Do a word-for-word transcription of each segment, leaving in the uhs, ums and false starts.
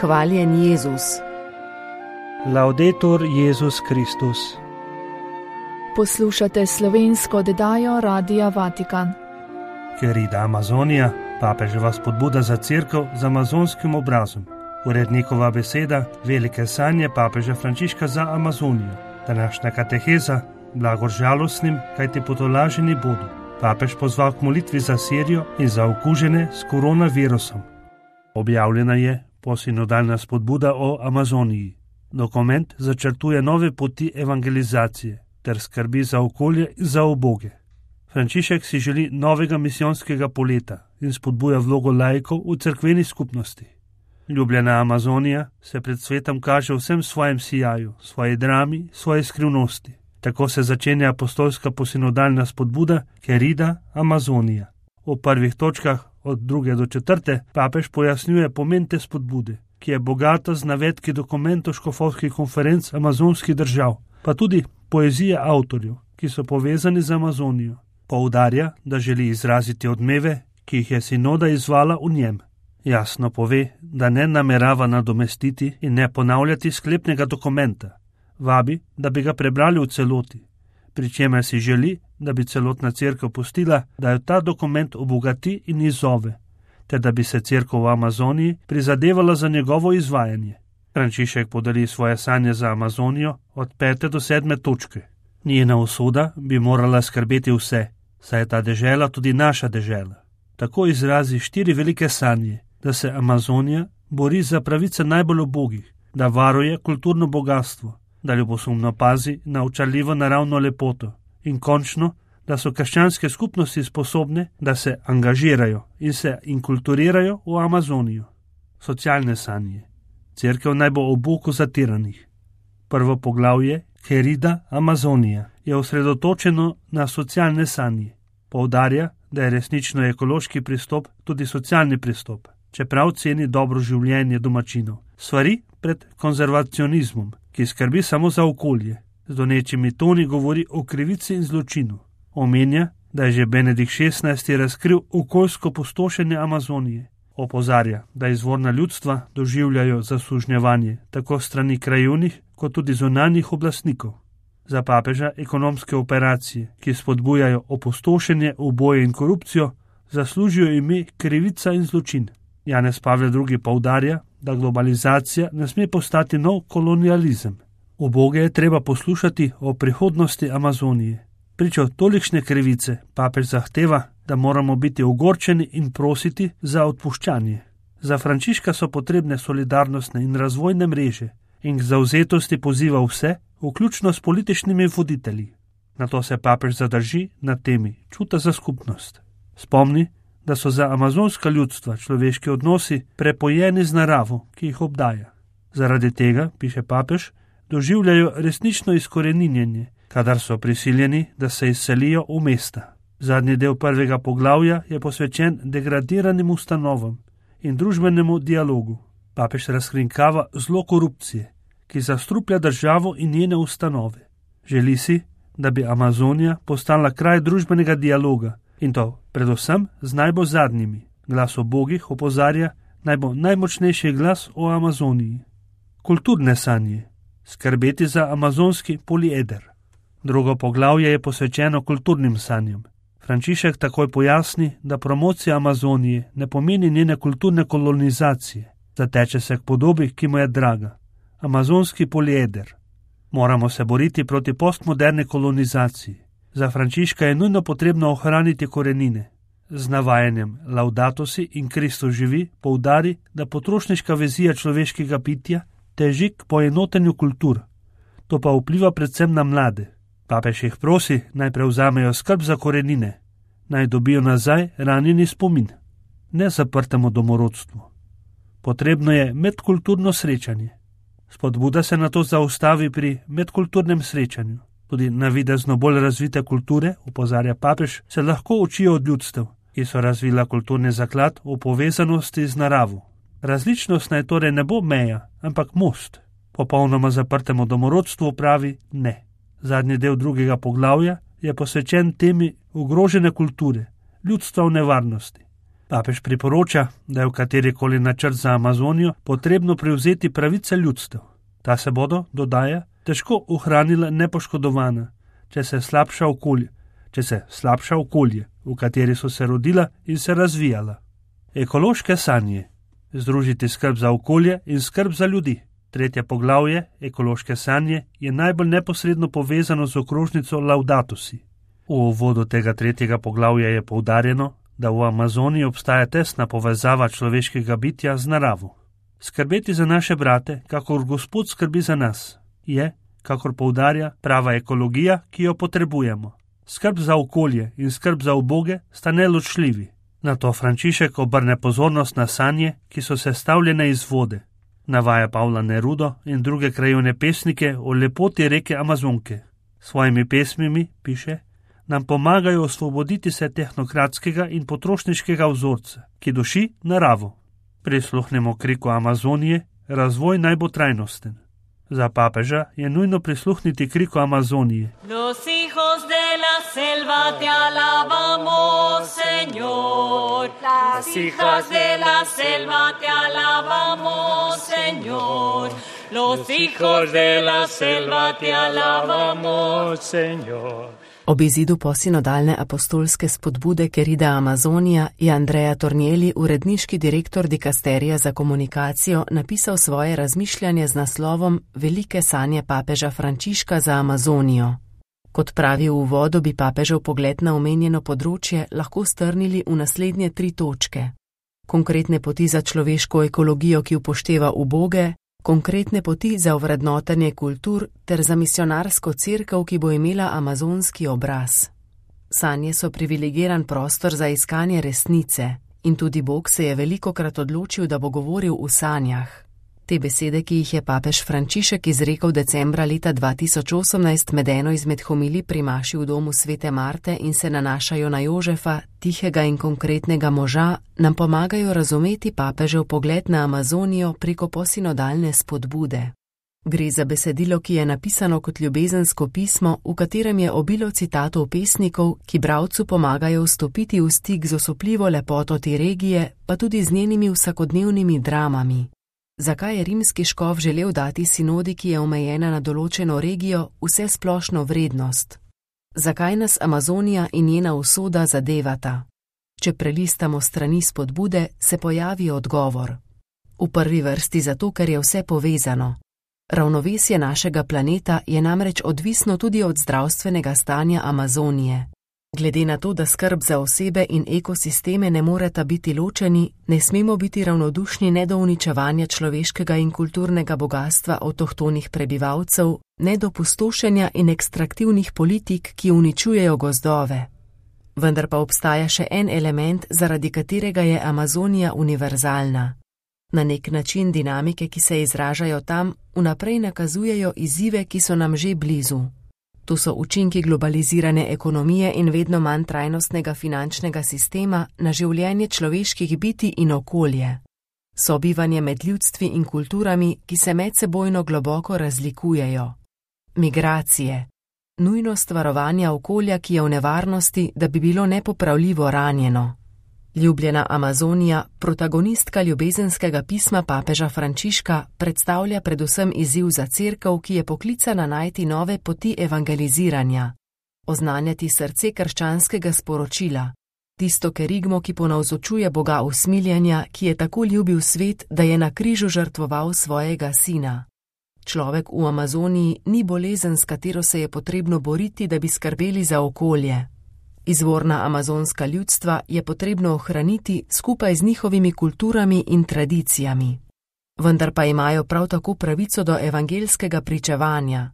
Hvaljen Jezus. Laudetur Jezus Kristus. Poslušate slovensko oddajo Radia Vatikan. Querida Amazonija, papeževa spodbuda za cerkev z amazonskim obrazom. Urednikova beseda, velike sanje papeža Frančiška za Amazonijo. Današnja kateheza, blagor žalostnim, kajti potolaženi bodo. Papež pozval k molitvi za Sirijo in za okužene s koronavirusom. Objavljena je posinodalna spodbuda o Amazoniji. Dokument začrtuje nove poti evangelizacije ter skrbi za okolje in za uboge. Frančišek si želi novega misijonskega poleta in spodbuja vlogo laikov v cerkveni skupnosti. Ljubljena Amazonija se pred svetom kaže v vsem svojem sijaju, svoji drami, svoji skrivnosti. Tako se začenja apostolska posinodalna spodbuda Querida Amazonija. V prvih točkah od druge do četrte papež pojasnjuje pomen te spodbude, ki je bogata z navedki dokumentov škofovskih konferenc amazonskih držav, pa tudi poezije avtorjev, ki so povezani z Amazonijo. Poudarja, da želi izraziti odmeve, ki jih je sinoda izvala v njem. Jasno pove, da ne namerava nadomestiti in ne ponavljati sklepnega dokumenta. Vabi, da bi ga prebrali v celoti, pri čemer si želi, da bi celotna cerkev pustila, da jo ta dokument obogati in izzove, ter da bi se cerkev v Amazoniji prizadevala za njegovo izvajanje. Frančišek podeli svoje sanje za Amazonijo od pete do sedme točke. Njena usoda bi morala skrbeti vse, saj je ta dežela tudi naša dežela. Tako izrazi štiri velike sanje, da se Amazonija bori za pravice najbolj ubogih, da varuje kulturno bogatstvo, da ljubosumno pazi na očarljivo naravno lepoto in končno, da so krščanske skupnosti sposobne, da se angažirajo in se inkulturirajo v Amazonijo. Socialne sanje. Cerkev naj bo ob boku zatiranih. Prvo poglavje, Querida Amazonija, je osredotočeno na socialne sanje. Poudarja, da je resnično ekološki pristop tudi socialni pristop, čeprav ceni dobro življenje domačinov. Svari pred konzervacionizmom, ki skrbi samo za okolje. Z donečimi toni govori o krivici in zločinu. Omenja, da je že Benedikt šestnajsti razkril okoljsko pustošenje Amazonije. Opozarja, da izvorna ljudstva doživljajo zasužnjevanje tako strani krajevnih kot tudi zunanjih oblastnikov. Za papeža ekonomske operacije, ki spodbujajo opustošenje, uboje in korupcijo, zaslužijo ime krivica in zločin. Janez Pavel drugi poudarja, da globalizacija ne sme postati nov kolonializem. Uboge je treba poslušati o prihodnosti Amazonije. Pričo tolikšne krivice papež zahteva, da moramo biti ogorčeni in prositi za odpuščanje. Za Frančiška so potrebne solidarnostne in razvojne mreže in k zavzetosti poziva vse, vključno s političnimi voditelji. Nato se papež zadrži na temi čuta za skupnost. Spomni, da so za amazonska ljudstva človeški odnosi prepojeni z naravo, ki jih obdaja. Zaradi tega, piše papež, doživljajo resnično izkoreninjenje, kadar so prisiljeni, da se izselijo v mesta. Zadnji del prvega poglavja je posvečen degradiranim ustanovam in družbenemu dialogu. Papež razkrinkava zlo korupcije, ki zastruplja državo in njene ustanove. Želi si, da bi Amazonija postala kraj družbenega dialoga, in to predvsem z najbolj zadnjimi. Glas ubogih opozarja, naj bo najmočnejši glas o Amazoniji. Kulturne sanje. Skrbeti za amazonski polieder. Drugo poglavje je posvečeno kulturnim sanjam. Frančišek takoj pojasni, da promocija Amazonije ne pomeni njene kulturne kolonizacije. Zateče se k podobi, ki mu je draga. Amazonski polieder. Moramo se boriti proti postmoderni kolonizaciji. Za Frančiška je nujno potrebno ohraniti korenine. Z navajanjem Laudato si in Kristus živi poudari, da potrošniška vizija človeškega bitja teži k poenotenju kultur. To pa vpliva predvsem na mlade. Papež jih prosi, naj prevzamejo skrb za korenine, naj dobijo nazaj ranjeni spomin, ne zaprtemu domorodstvu. Potrebno je medkulturno srečanje. Spodbuda se nato zaustavi pri medkulturnem srečanju. Tudi navidezno bolj razvite kulture, opozarja papež, se lahko učijo od ljudstev, ki so razvila kulturni zaklad v povezanosti z naravo. Različnost naj torej ne bo meja, ampak most. Popolnoma zaprtemu domorodstvu pravi ne. Zadnji del drugega poglavja je posvečen temi ogrožene kulture, ljudstva v nevarnosti. Papež priporoča, da je v katerikoli načrt za Amazonijo potrebno prevzeti pravice ljudstev. Ta se bodo, dodaja, težko ohranila nepoškodovana, če se slabša okolje, če se slabša okolje, v kateri so se rodila in se razvijala. Ekološke sanje. Združiti skrb za okolje in skrb za ljudi. Tretje poglavje, ekološke sanje, je najbolj neposredno povezano z okrožnico Laudato si. V uvodu tega tretjega poglavja je poudarjeno, da v Amazoniji obstaja tesna povezava človeškega bitja z naravo. Skrbeti za naše brate, kakor Gospod skrbi za nas, je, kakor poudarja, prava ekologija, ki jo potrebujemo. Skrb za okolje in skrb za uboge sta neločljivi. Nato Frančišek obrne pozornost na sanje, ki so sestavljene iz vode. Navaja Pavla Nerudo in druge krajevne pesnike o lepoti reke Amazonke. Svojimi pesmimi, piše, nam pomagajo osvoboditi se tehnokratskega in potrošniškega vzorca, ki duši naravo. Prisluhnemo kriku Amazonije, razvoj naj bo trajnosten. Za papeža je nujno prisluhniti kriku Amazonije. Los hijos de la selva te alabamos, Señor. Las hijas de la selva te alabamos, Señor. Los hijos de la selva te alabamos, Señor. Ob izidu posinodalne apostolske spodbude Querida Amazonija je Andrea Tornielli, uredniški direktor dikasterija za komunikacijo, napisal svoje razmišljanje z naslovom Velike sanje papeža Frančiška za Amazonijo. Kot pravi v uvodu, bi papežev pogled na omenjeno področje lahko strnili v naslednje tri točke. Konkretne poti za človeško ekologijo, ki upošteva uboge, konkretne poti za ovrednotenje kultur ter za misionarsko cerkev, ki bo imela amazonski obraz. Sanje so privilegiran prostor za iskanje resnice in tudi Bog se je velikokrat odločil, da bo govoril v sanjah. Te besede, ki jih je papež Frančišek izrekel decembra leta dva tisoč osemnajst med eno izmed homilij pri maši v domu svete Marte in se nanašajo na Jožefa, tihega in konkretnega moža, nam pomagajo razumeti papežev pogled na Amazonijo preko posinodalne spodbude. Gre za besedilo, ki je napisano kot ljubezensko pismo, v katerem je obilo citatov pesnikov, ki bralcu pomagajo vstopiti v stik z osupljivo lepoto te regije, pa tudi z njenimi vsakodnevnimi dramami. Zakaj je rimski škof želel dati sinodi, ki je omejena na določeno regijo, vse splošno vrednost? Zakaj nas Amazonija in njena usoda zadevata? Če prelistamo strani spodbude, se pojavi odgovor. V prvi vrsti zato, ker je vse povezano. Ravnovesje našega planeta je namreč odvisno tudi od zdravstvenega stanja Amazonije. Glede na to, da skrb za osebe in ekosisteme ne moreta biti ločeni, ne smemo biti ravnodušni ne do uničevanja človeškega in kulturnega bogatstva avtohtonih prebivalcev, ne do pustošenja in ekstraktivnih politik, ki uničujejo gozdove. Vendar pa obstaja še en element, zaradi katerega je Amazonija univerzalna. Na nek način dinamike, ki se izražajo tam, vnaprej nakazujejo izzive, ki so nam že blizu. To so učinki globalizirane ekonomije in vedno manj trajnostnega finančnega sistema na življenje človeških bitij in okolje. Sobivanje med ljudstvi in kulturami, ki se medsebojno globoko razlikujejo. Migracije. Nujnost varovanja okolja, ki je v nevarnosti, da bi bilo nepopravljivo ranjeno. Ljubljena Amazonija, protagonistka ljubezenskega pisma papeža Frančiška, predstavlja predvsem izziv za cerkev, ki je poklicana najti nove poti evangeliziranja. Oznanjati srce krščanskega sporočila. Tisto kerigmo, ki ponavzočuje Boga usmiljenja, ki je tako ljubil svet, da je na križu žrtvoval svojega sina. Človek v Amazoniji ni bolezen, s katero se je potrebno boriti, da bi skrbeli za okolje. Izvorna amazonska ljudstva je potrebno ohraniti skupaj z njihovimi kulturami in tradicijami. Vendar pa imajo prav tako pravico do evangelskega pričevanja.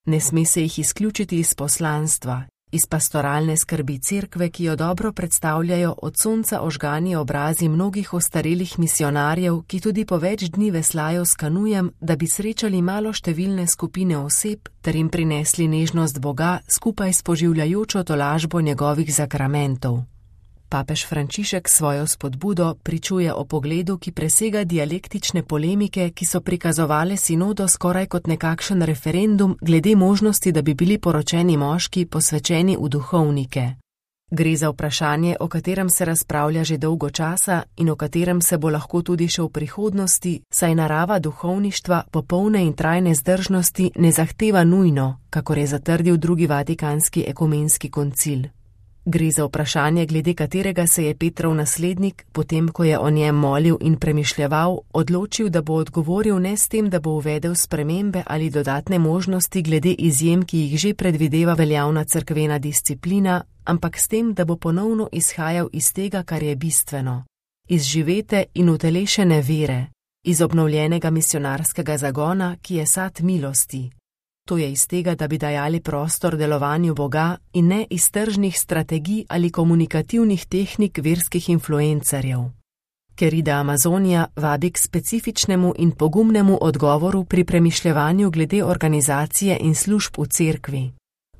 Ne sme se jih izključiti iz poslanstva, iz pastoralne skrbi cerkve, ki jo dobro predstavljajo od sonca ožgani obrazi mnogih ostarelih misionarjev, ki tudi po več dni veslajo s kanujem, da bi srečali maloštevilne skupine oseb ter jim prinesli nežnost Boga skupaj s poživljajočo tolažbo njegovih zakramentov. Papež Frančišek svojo spodbudo pričuje o pogledu, ki presega dialektične polemike, ki so prikazovale sinodo skoraj kot nekakšen referendum glede možnosti, da bi bili poročeni moški posvečeni v duhovnike. Gre za vprašanje, o katerem se razpravlja že dolgo časa in o katerem se bo lahko tudi še v prihodnosti, saj narava duhovništva popolne in trajne zdržnosti ne zahteva nujno, kakor je zatrdil drugi vatikanski ekumenski koncil. Gre za vprašanje, glede katerega se je Petrov naslednik, potem ko je o njem molil in premišljeval, odločil, da bo odgovoril ne s tem, da bo uvedel spremembe ali dodatne možnosti glede izjem, ki jih že predvideva veljavna cerkvena disciplina, ampak s tem, da bo ponovno izhajal iz tega, kar je bistveno, iz živete in utelešene vere, iz obnovljenega misionarskega zagona, ki je sad milosti. To je iz tega, da bi dajali prostor delovanju Boga in ne iz tržnih strategij ali komunikativnih tehnik verskih influencerjev. Querida Amazonia vabi k specifičnemu in pogumnemu odgovoru pri premišljevanju glede organizacije in služb v cerkvi.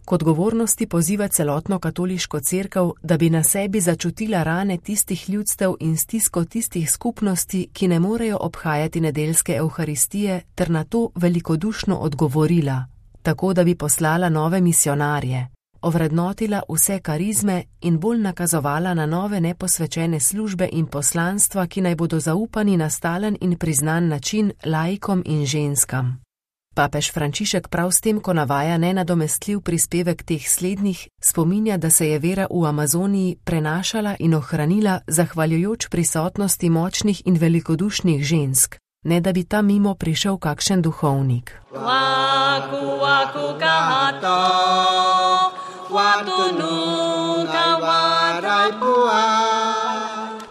K odgovornosti poziva celotno katoliško cerkev, da bi na sebi začutila rane tistih ljudstev in stisko tistih skupnosti, ki ne morejo obhajati nedeljske evharistije, ter na to velikodušno odgovorila, tako da bi poslala nove misionarje, ovrednotila vse karizme in bolj nakazovala na nove neposvečene službe in poslanstva, ki naj bodo zaupani na stalen in priznan način laikom in ženskam. Papež Frančišek prav s tem, ko navaja nenadomestljiv prispevek teh slednjih, spominja, da se je vera v Amazoniji prenašala in ohranila zahvaljujoč prisotnosti močnih in velikodušnih žensk, ne da bi tam mimo prišel kakšen duhovnik. Waku, waku, kahato,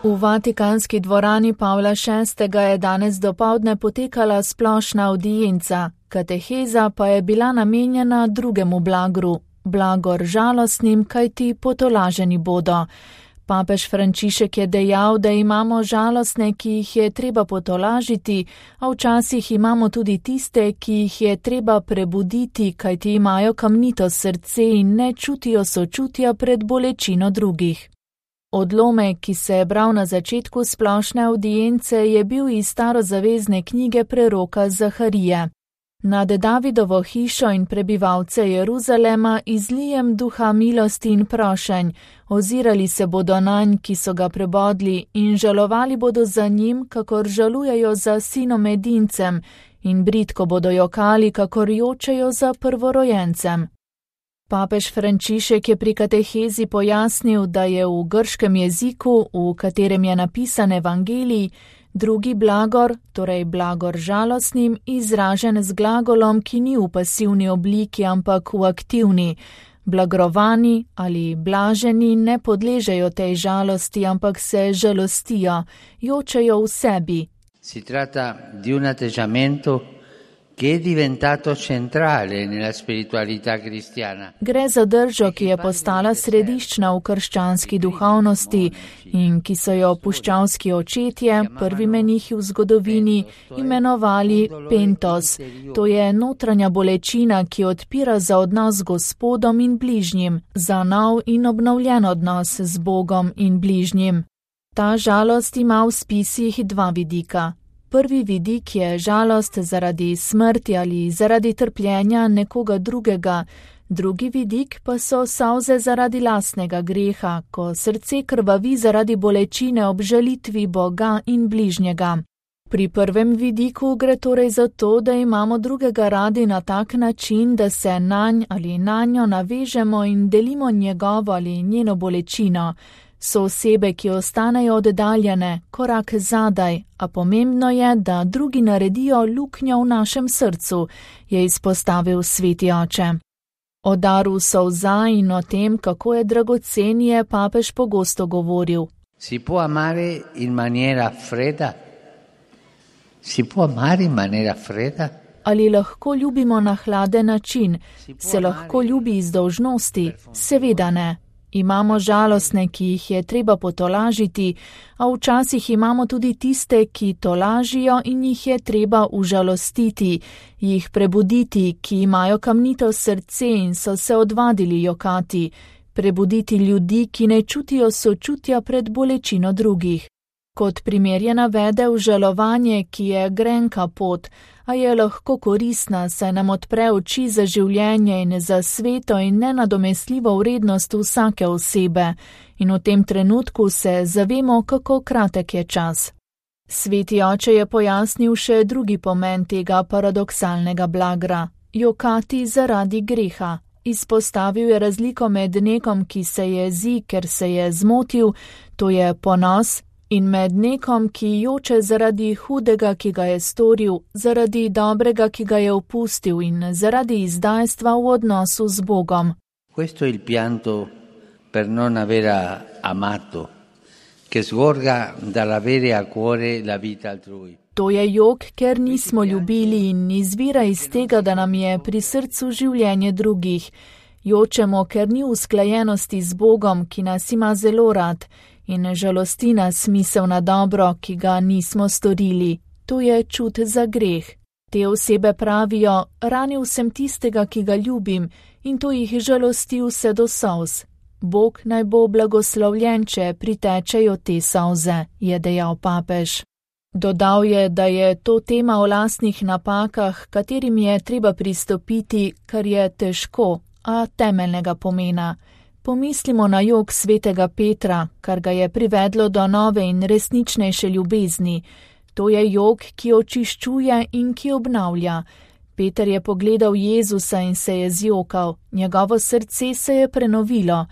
V Vatikanski dvorani Pavla šestega je danes dopoldne potekala splošna avdienca, kateheza pa je bila namenjena drugemu blagru, blagor žalostnim, kajti potolaženi bodo. Papež Frančišek je dejal, da imamo žalostne, ki jih je treba potolažiti, a včasih imamo tudi tiste, ki jih je treba prebuditi, kajti imajo kamnito srce in ne čutijo sočutja pred bolečino drugih. Odlomek, ki se je bral na začetku splošne avdience, je bil iz starozavezne knjige preroka Zaharije. Nad Davidovo hišo in prebivalce Jeruzalema izlijem duha milosti in prošenj, ozirali se bodo nanj, ki so ga prebodli, in žalovali bodo za njim, kakor žalujejo za sinom edincem, in bridko bodo jokali, kakor jočejo za prvorojencem. Papež Frančišek je pri katehezi pojasnil, da je v grškem jeziku, v katerem je napisan evangelij, drugi blagor, torej blagor žalostnim, izražen z glagolom, ki ni v pasivni obliki, ampak v aktivni. Blagrovani ali blaženi ne podležejo tej žalosti, ampak se žalostijo, jočejo v sebi. Si tratta di un atteggiamento che è diventato centrale nella spiritualità cristiana. Gre za držo, ki je postala središčna v krščanski duhovnosti in ki so jo puščavski očetje, prvi menihi v zgodovini, imenovali pentos. To je notranja bolečina, ki odpira za odnos z Gospodom in bližnjim, za nov in obnovljen odnos z Bogom in bližnjim. Ta žalost ima v spisih dva vidika. Prvi vidik je žalost zaradi smrti ali zaradi trpljenja nekoga drugega, drugi vidik pa so solze zaradi lastnega greha, ko srce krvavi zaradi bolečine ob žalitvi Boga in bližnjega. Pri prvem vidiku gre torej za to, da imamo drugega radi na tak način, da se nanj ali nanjo navežemo in delimo njegovo ali njeno bolečino. So osebe, ki ostanejo oddaljene, korak zadaj, a pomembno je, da drugi naredijo luknjo v našem srcu, je izpostavil sveti oče. O daru solza in o tem, kako je dragocen, je papež pogosto govoril. Si può amare in maniera fredda? Si può amare in maniera fredda? Ali lahko ljubimo na hladen način? Se lahko ljubi iz dolžnosti? Seveda ne. Imamo žalostne, ki jih je treba potolažiti, a včasih imamo tudi tiste, ki tolažijo in jih je treba užalostiti, jih prebuditi, ki imajo kamnito srce in so se odvadili jokati, prebuditi ljudi, ki ne čutijo sočutja pred bolečino drugih. Kot primer je navedel žalovanje, ki je grenka pot, a je lahko koristna, saj nam odpre oči za življenje in za sveto in nenadomestljivo vrednost vsake osebe, in v tem trenutku se zavemo, kako kratek je čas. Sveti oče je pojasnil še drugi pomen tega paradoksalnega blagra – jokati zaradi greha. Izpostavil je razliko med nekom, ki se jezi, ker se je zmotil, to je ponos, in med nekom, ki joče zaradi hudega, ki ga je storil, zaradi dobrega, ki ga je opustil in zaradi izdajstva v odnosu z Bogom. Questo è il pianto per non aver amato, che sgorga dall'avere a cuore la vita altrui. To je jok, ker nismo ljubili in izvira iz tega, da nam je pri srcu življenje drugih. Jočemo, ker ni usklajenosti z Bogom, ki nas ima zelo rad, in žalosti nas misel na dobro, ki ga nismo storili. To je čut za greh. Te osebe pravijo, ranil sem tistega, ki ga ljubim, in to jih žalosti vse do solz. Bog naj bo blagoslovljen, če pritečejo te solze, je dejal papež. Dodal je, da je to tema o lastnih napakah, katerim je treba pristopiti, kar je težko, a temeljnega pomena. Pomislimo na jok svetega Petra, kar ga je privedlo do nove in resničnejše ljubezni. To je jok, ki očiščuje in ki obnavlja. Peter je pogledal Jezusa in se je zjokal, njegovo srce se je prenovilo.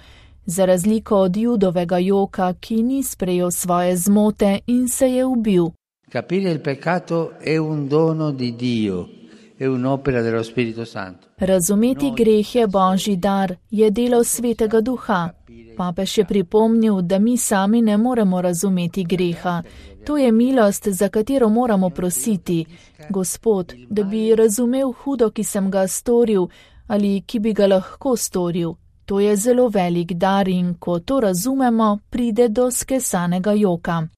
Za razliko od Judovega joka, ki ni sprejel svoje zmote in se je ubil. Capire il peccato è un dono di Dio, è un'opera dello Spirito Santo. Razumeti greh je Božji dar, je delo Svetega Duha. Papež je pripomnil, da mi sami ne moremo razumeti greha. To je milost, za katero moramo prositi. Gospod, da bi razumel hudo, ki sem ga storil, ali ki bi ga lahko storil. To je zelo velik dar in ko to razumemo, pride do skesanega joka.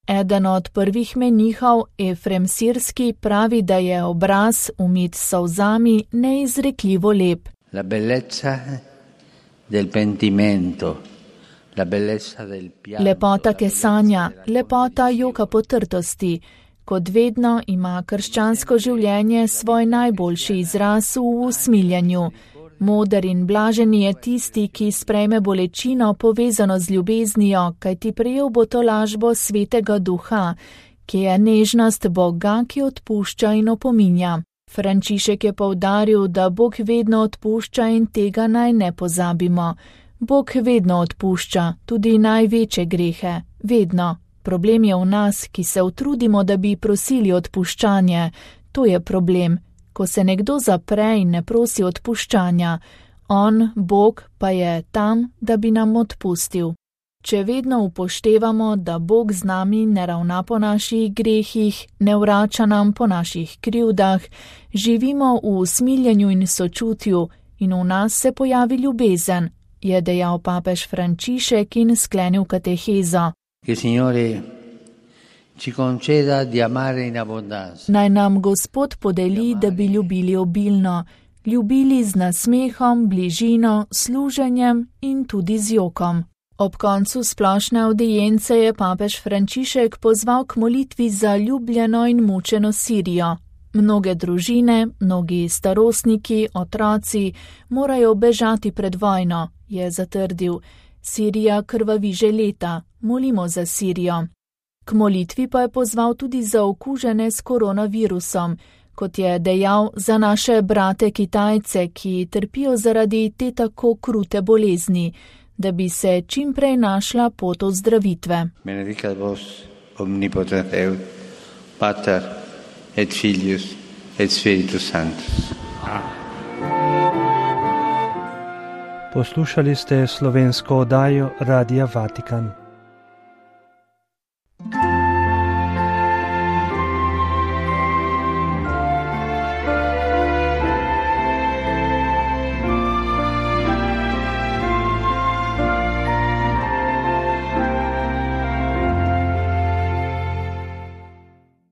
Eden od prvih menihov, Efrem Sirski, pravi, da je obraz, umit s solzami, neizrekljivo lep. La bellezza del pentimento, la bellezza del pianto. Lepota kesanja, lepota joka potrtosti. Kot vedno ima krščansko življenje svoj najboljši izraz v usmiljanju. Moder in blažen je tisti, ki sprejme bolečino povezano z ljubeznijo, kajti prejel bo tolažbo Svetega Duha, ki je nežnost Boga, ki odpušča in opominja. Frančišek je poudaril, da Bog vedno odpušča in tega naj ne pozabimo. Bog vedno odpušča, tudi največje grehe, vedno. Problem je v nas, ki se utrudimo, da bi prosili odpuščanje. To je problem. Ko se nekdo zapre in ne prosi odpuščanja, on, Bog, pa je tam, da bi nam odpustil. Če vedno upoštevamo, da Bog z nami ne ravna po naših grehih, ne vrača nam po naših krivdah, živimo v usmiljenju in sočutju in v nas se pojavi ljubezen, je dejal papež Frančišek in sklenil katehezo. Naj nam Gospod podeli, da bi ljubili obilno, ljubili z nasmehom, bližino, služenjem in tudi z jokom. Ob koncu splošne avdience je papež Frančišek pozval k molitvi za ljubljeno in mučeno Sirijo. Mnoge družine, mnogi starostniki, otroci morajo bežati pred vojno, je zatrdil. Sirija krvavi že leta, molimo za Sirijo. K molitvi pa je pozval tudi za okužene s koronavirusom, kot je dejal, za naše brate Kitajce, ki trpijo zaradi te tako krute bolezni, da bi se čim prej našla pot ozdravitve. Benedicat vos omnipotent Deus, Pater et Filius et Spiritus Sanctus. Poslušali ste slovensko oddajo Radia Vatikan.